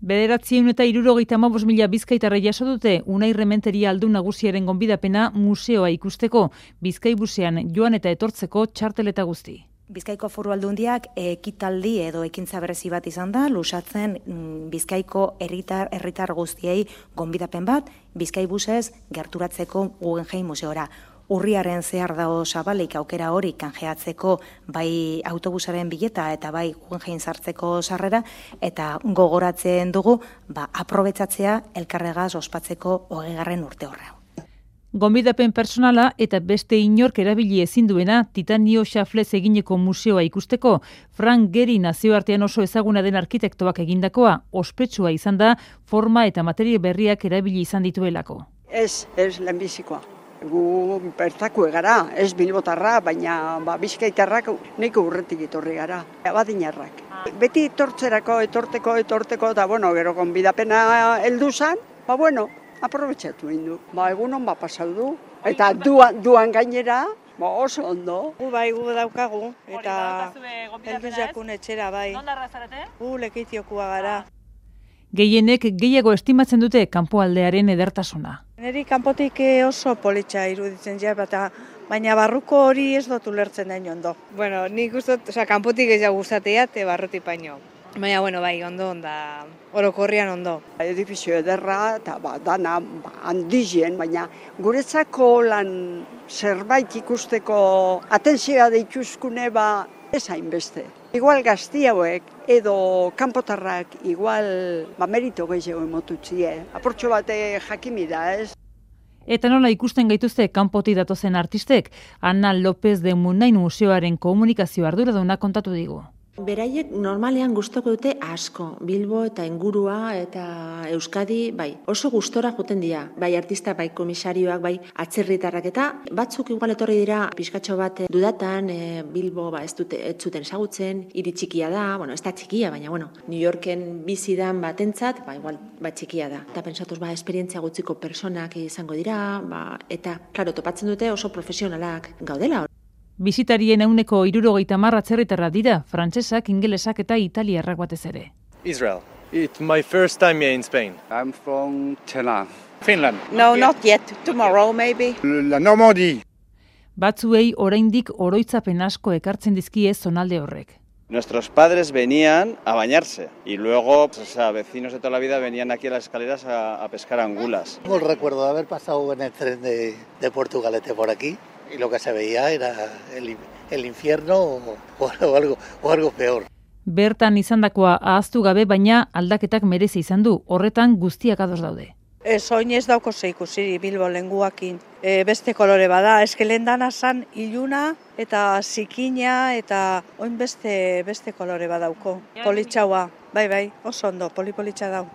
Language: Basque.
975.000 bizkaitarra jaso dute Unai Rementeria aldun nagusiaren gonbidapena museoa ikusteko, Bizkaibusean joan eta etortzeko txartel eta guzti. Bizkaiko Foru Aldundiak ekitaldi edo ekintza berezi bat izan da, lusatzen Bizkaiko herritar guztiei gonbidapen bat, Bizkaibusez gerturatzeko Guggenheim museora. Urriaren zehar dago zabalik aukera hori kanjeatzeko bai autobusaren bileta eta bai Guggenheim sartzeko sarrera, eta gogoratzen dugu aprobetxatzea elkarregaz ospatzeko 20. urte horra. Gonbidapen personala eta beste inork erabili ezin duena Titanio Xaflez egineko museoa ikusteko, Frank Gehry nazioartean oso ezaguna den arkitektoak egindakoa, ospetsua izan da forma eta materia berriak erabili izan dituelako. Ez lehenbizikoa. Gu bertako gara, ez bilbotarra, baina bizkaitarrak nahiko urretik etorri gara, abadinarrak. Beti etortzerako, etorteko, eta gero gonbidapena heldu zan, aprobetxatu egin du. Egunon pasau du, eta duan gainera, oso ondo. Gu daukagu, eta heldu jakun etxera, bai. Nondarra zarete? Lekeitiokua gara. Gehienek gehiago estimatzen dute kanpoaldearen edertasuna. Neri kanpotik oso politxa iruditzen baina barruko hori ez dut ulertzen dain ondo. Bueno, nik gustot, kanpotik ez gustatea, barrutik baino. Baina, bai, ondo onda, orokorrian ondo. Edifizio ederra, eta dana handizien, baina guretzako lan zerbait ikusteko atentzioa deituzkune ez hainbeste. Igual gazti hauek edo kanpotarrak igual merito gehiago emotutzie. Aportxo bate jakimi da, ez? Eta nola ikusten gaituzte kanpotik datozen artistek, Ana López de Munain museoaren komunikazio arduraduna kontatu digu. Beraiek normalean gustoko dute asko, Bilbo eta ingurua eta Euskadi, oso gustora joten dira, bai artista, bai komisarioak, bai atzerritarrak eta batzuk igual etorri dira pixkatxo bat dudatan, Bilbo ez zuten ezagutzen, hiri txikia da, ez da txikia, baina New Yorken bizidan batentzat, igual txikia da. Eta pensatuz esperientzia gutziko personak izango dira, eta, klaro, topatzen dute oso profesionalak gaudela. Bisitarien 70% atzerritarrak dira, frantsesak, ingelesak eta italiarrak batez ere. Israel. It's my first time here in Spain. I'm from Chennai. Finland. No, not yet. Tomorrow, maybe. La Normandie. Batzuei oraindik oroitzapen asko ekartzen dizkie zonalde horrek. Nuestros padres venían a bañarse y luego, vecinos de toda la vida venían aquí a las escaleras a pescar angulas. Tengo el recuerdo de haber pasado en el tren de Portugalete por aquí. Y lo que se veía era el infierno o algo peor. Bertan izandakoa ahaztu gabe, baina aldaketak merezi izan du, horretan guztiak ados daude. Oin ez dauko ikusi Bilbo lenguakin. Beste kolore bada, eskelen dana zan iluna eta zikina eta oin beste kolore badauko. Politxaua, bai, oso ondo, politxa dau.